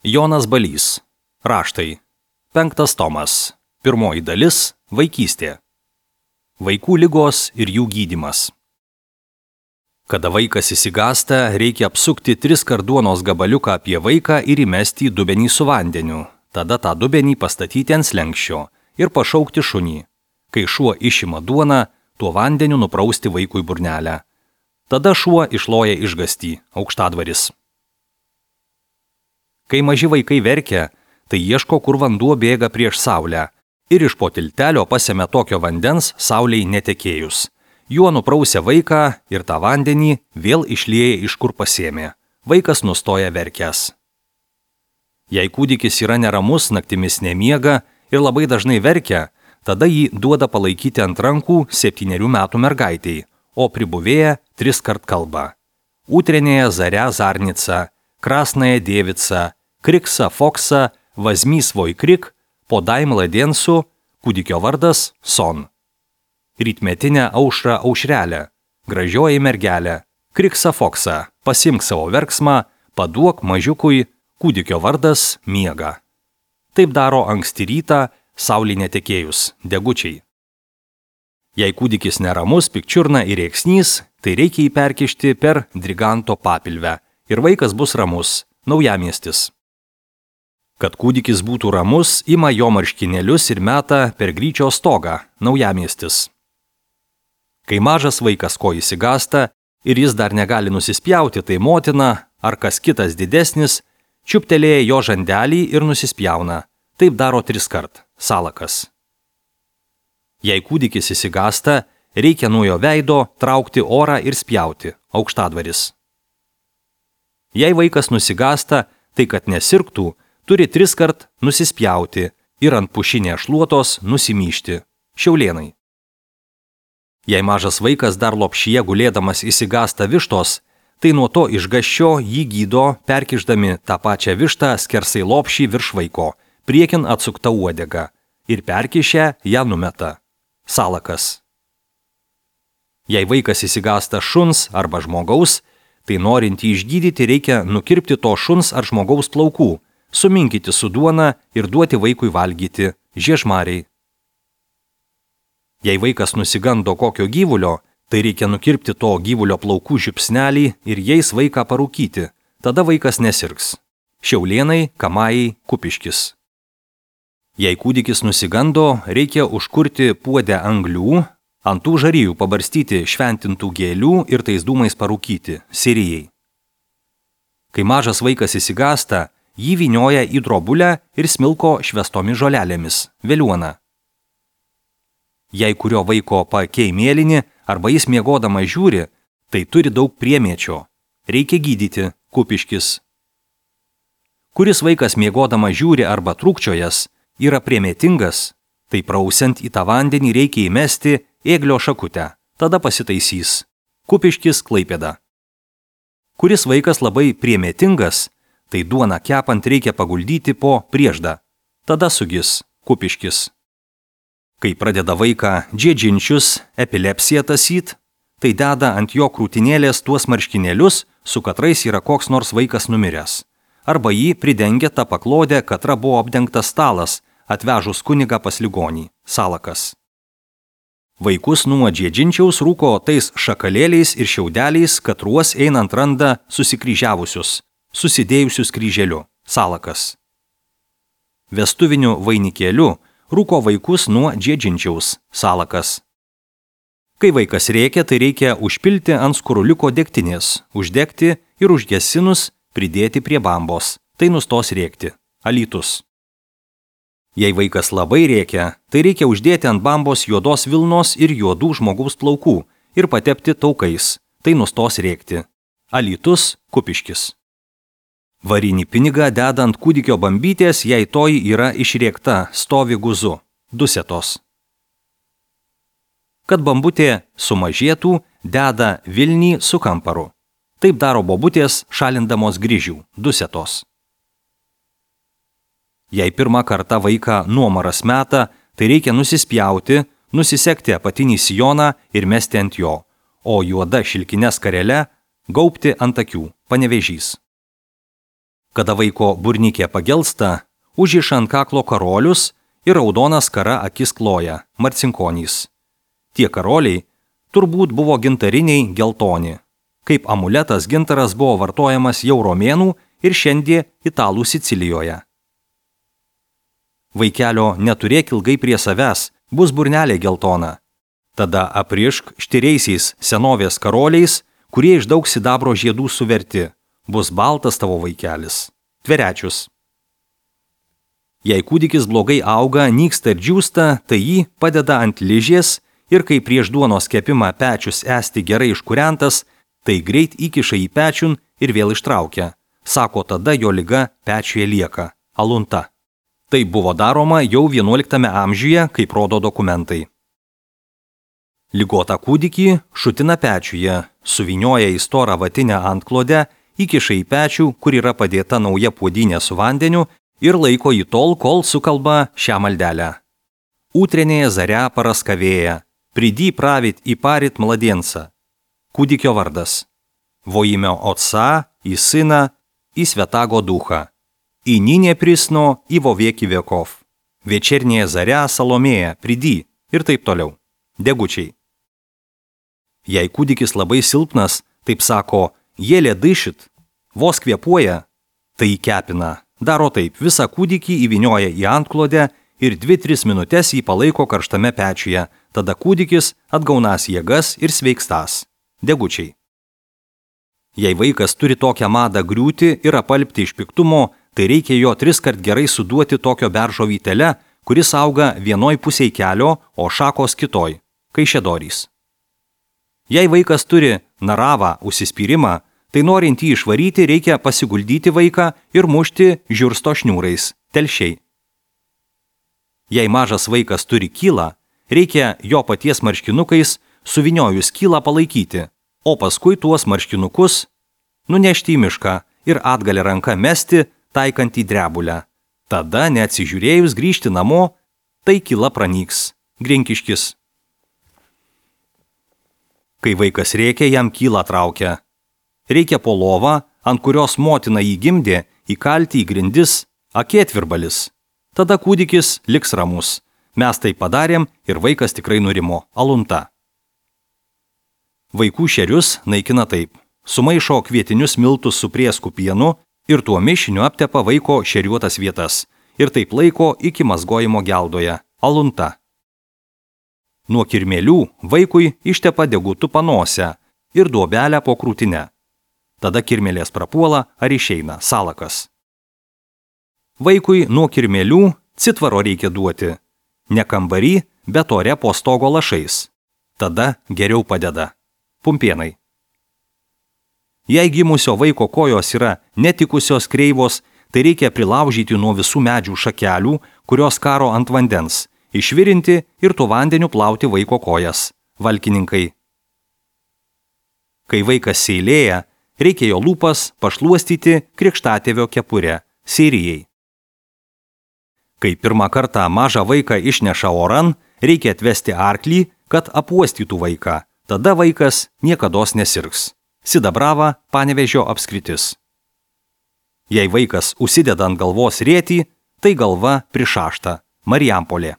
Jonas Balys. Raštai. 5 tomas. 1 dalis. Vaikystė. Vaikų ligos ir jų gydymas. Kada vaikas įsigąsta, reikia apsukti 3 kart duonos gabaliuką apie vaiką ir įmesti į dubenį su vandeniu. Tada tą dubenį pastatyti ant slenksčio ir pašaukti šunį. Kai šuo išima duoną, tuo vandeniu nuprausti vaikui burnelę. Tada šuo išloja išgąstį, aukštadvaris. Kai maži vaikai verkia, tai ieško, kur vanduo bėga prieš saulę ir iš po tiltelio pasemia tokio vandens saulei netekėjus. Juo nuprausia vaiką ir tą vandenį vėl išlieja iš kur pasėmė. Vaikas nustoja verkęs. Jei kūdikis yra neramus, naktimis nemiega ir labai dažnai verkia, tada jį duoda palaikyti ant rankų 7 metų mergaitei, o pribuvėja 3 kart kalba. Utrenėje Zarя Zarnica, Krasnaja Dievica, Kriksa Foksa, Vazmy svoj krik, Podai mladensų, kūdikio vardas Son. Rytmetinę aušrą aušrelę, gražioji mergelė, Kriksa Foksa, pasimk savo verksmą, paduok mažiukui, kūdikio vardas Miega. Taip daro anksti rytą, saulei netekėjus, degučiai. Jei kūdikis neramus, pikčiurna ir rėksnys, tai reikia jį perkišti per Driganto papilvę ir vaikas bus ramus, Naujamiestis. Kad kūdikis būtų ramus, ima jo marškinėlius ir meta per gryčio stogą, Naujamiestis. Kai mažas vaikas ko įsigąsta ir jis dar negali nusispjauti, tai motina ar kas kitas didesnis čiuptelėja jo žandelį ir nusispjauna. Taip daro 3 kart, Salakas. Jei kūdikis įsigąsta, reikia nuo jo veido traukti orą ir spjauti, aukštadvaris. Jei vaikas nusigąsta, tai kad nesirgtų, turi 3 kart nusispjauti ir ant pušinės šluotos nusimyžti, Šiaulėnai. Jei mažas vaikas dar lopšyje gulėdamas įsigąsta vištos, tai nuo to išgąsčio jį gydo, perkišdami tą pačią vištą skersai lopšį virš vaiko, priekin atsukta uodega ir perkišę ją numeta, Salakas. Jei vaikas įsigąsta šuns arba žmogaus, tai norint jį išgydyti reikia nukirpti to šuns ar žmogaus plaukų, suminkyti su duona ir duoti vaikui valgyti, žiežmariai. Jei vaikas nusigando kokio gyvulio, tai reikia nukirpti to gyvulio plaukų žiupsnelį ir jais vaiką parūkyti, tada vaikas nesirgs, Šiaulėnai, Kamajai, Kupiškis. Jei kūdikis nusigando, reikia užkurti puodę anglių, ant tų žarijų pabarstyti šventintų gėlių ir tais dūmais parūkyti, Sirijai. Kai mažas vaikas įsigąsta, jį vynioja į drobulę ir smilko švęstomis žolelėmis, veliuona. Jei kurio vaiko paakiai mėlyni arba jis miegodamas žiūri, tai turi daug priemiečio, reikia gydyti, Kupiškis. Kuris vaikas miegodamas žiūri arba trūkčiojas, yra priemėtingas, tai prausiant į tą vandenį reikia įmesti ėglio šakutę, tada pasitaisys, Kupiškis, Klaipėda. Kuris vaikas labai priemėtingas, tai duoną kepant reikia paguldyti po prieždą, tada sugis, Kupiškis. Kai pradeda vaiką džiedžinčius, epilepsiją tasyt, tai deda ant jo krūtinėlės tuos marškinėlius, su katrais yra koks nors vaikas numiręs. Arba jį pridengia tą paklodę, katra buvo apdengtas stalas, atvežus kunigą pas ligonį, Salakas. Vaikus nuo džiedžinčiaus rūko tais šakalėliais ir šiaudeliais, katruos einant randa susikryžiavusius, susidėjusius kryželiu, Salakas. Vestuviniu vainikėliu rūko vaikus nuo džiedžinčiaus, Salakas. Kai vaikas rėkia, tai reikia užpilti ant skuruliuko degtinės, uždegti ir užgesinus pridėti prie bambos, tai nustos rėkti, Alytus. Jei vaikas labai rėkia, tai reikia uždėti ant bambos juodos vilnos ir juodų žmogaus plaukų ir patepti taukais, tai nustos rėkti, Alytus, Kupiškis. Varinį pinigą deda ant kūdikio bambytės, jei toji yra išrėkta, stovi guzu, Dusetos. Kad bambutė sumažėtų, deda vilnį su kamparu. Taip daro bobutės šalindamos Gryžių, Dusetos. Jei pirmą kartą vaiką nuomaras meta, tai reikia nusispjauti, nusisekti apatinį sijoną ir mesti ant jo, o juoda šilkine skarele gaubti ant akių, Panevėžys. Kada vaiko burnikė pagelsta, užriša ant kaklo karolius ir raudona skara akis kloja, marcinkonys. Tie karoliai turbūt buvo gintariniai geltoni. Kaip amuletas gintaras buvo vartojamas jau romėnų ir šiandien italų Sicilijoje. Vaikelio neturėk ilgai prie savęs, bus burnelė geltona. Tada aprišk štiriaisiais senovės karoliais, kurie iš daug sidabro žiedų suverti. Bus baltas tavo vaikelis. Tverečius. Jei kūdikis blogai auga, nyksta ir džiūsta, tai jį padeda ant ližės ir kai prieš duonos kepimą pečius esti gerai iškūrentas, tai greit įkiša į pečiun ir vėl ištraukia. Sako, tada jo liga pečiuje lieka. Alunta. Tai buvo daroma jau 11 amžiuje, kaip rodo dokumentai. Ligotą kūdikį šutina pečiuje, suvinioja į storą vatinę antklodę, įkiša į pečių, kur yra padėta nauja puodynė su vandeniu ir laiko jį tol, kol sukalba šią maldelę. Utrенее заря paraskavėja, приди править и парить младенца. Kūdikio vardas. Во имя Отца и Сына и Святаго Духа. И ныне присно и во веки веков. Вечерняя заря Salomėja, приди ir taip toliau. Degučiai. Jei kūdikis labai silpnas, taip sako, jėlė daišit, vos kvėpuoja, tai įkepina. Daro taip, visą kūdikį įvinioja į antklodę ir 2-3 minutės jį palaiko karštame pečiuje, tada kūdikis atgaunas jėgas ir sveikstas. Degučiai. Jei vaikas turi tokią madą griūti ir apalpti iš piktumo, tai reikia jo 3 kart gerai suduoti tokio beržo vytele, kuris auga vienoj pusėj kelio, o šakos kitoj, kaišėdorys. Jei vaikas turi naravą užsispyrimą, tai norint jį išvaryti reikia pasiguldyti vaiką ir mušti žiursto šniūrais, telšiai. Jei mažas vaikas turi kylą, reikia jo paties marškinukais suviniojus kylą palaikyti, o paskui tuos marškinukus nunešti į mišką ir atgalę ranką mesti, taikant į drebulę. Tada, neatsižiūrėjus grįžti namo, tai kyla pranyks. Grinkiškis. Kai vaikas rėkia, jam kylą traukia. Reikia po lovą, ant kurios motina jį gimdė, įkalti į grindis akėtvirbalis. Tada kūdikis liks ramus. Mes tai padarėm ir vaikas tikrai nurimo. Alunta. Vaikų šerius naikina taip. Sumaišo kvietinius miltus su prieskų pienu ir tuo mišiniu aptepa vaiko šeriuotas vietas. Ir taip laiko iki mazgojimo geldoje. Alunta. Nuo kirmėlių vaikui ištepa degutu panosę ir duobelę po krūtinę. Tada kirmėlės prapuola ar išeina. Salakas. Vaikui nuo kirmėlių citvaro reikia duoti. Ne kambarį, bet ore po stogo lašais. Tada geriau padeda. Pumpienai. Jei gimusio vaiko kojos yra netikusios kreivos, tai reikia prilaužyti nuo visų medžių šakelių, kurios karo ant vandens, išvirinti ir tuo vandeniu plauti vaiko kojas. Valkininkai. Kai vaikas seilėja, reikia jo lūpas pašluostyti krikštatėvio kepurę. Seirijai. Kai pirmą kartą mažą vaiką išneša oran, reikia atvesti arklį, kad apuostytų vaiką. Tada vaikas niekados nesirgs. Sidabrava, Panevėžio apskritis. Jei vaikas užsideda ant galvos rėtį, tai galva prišašta. Marijampolė.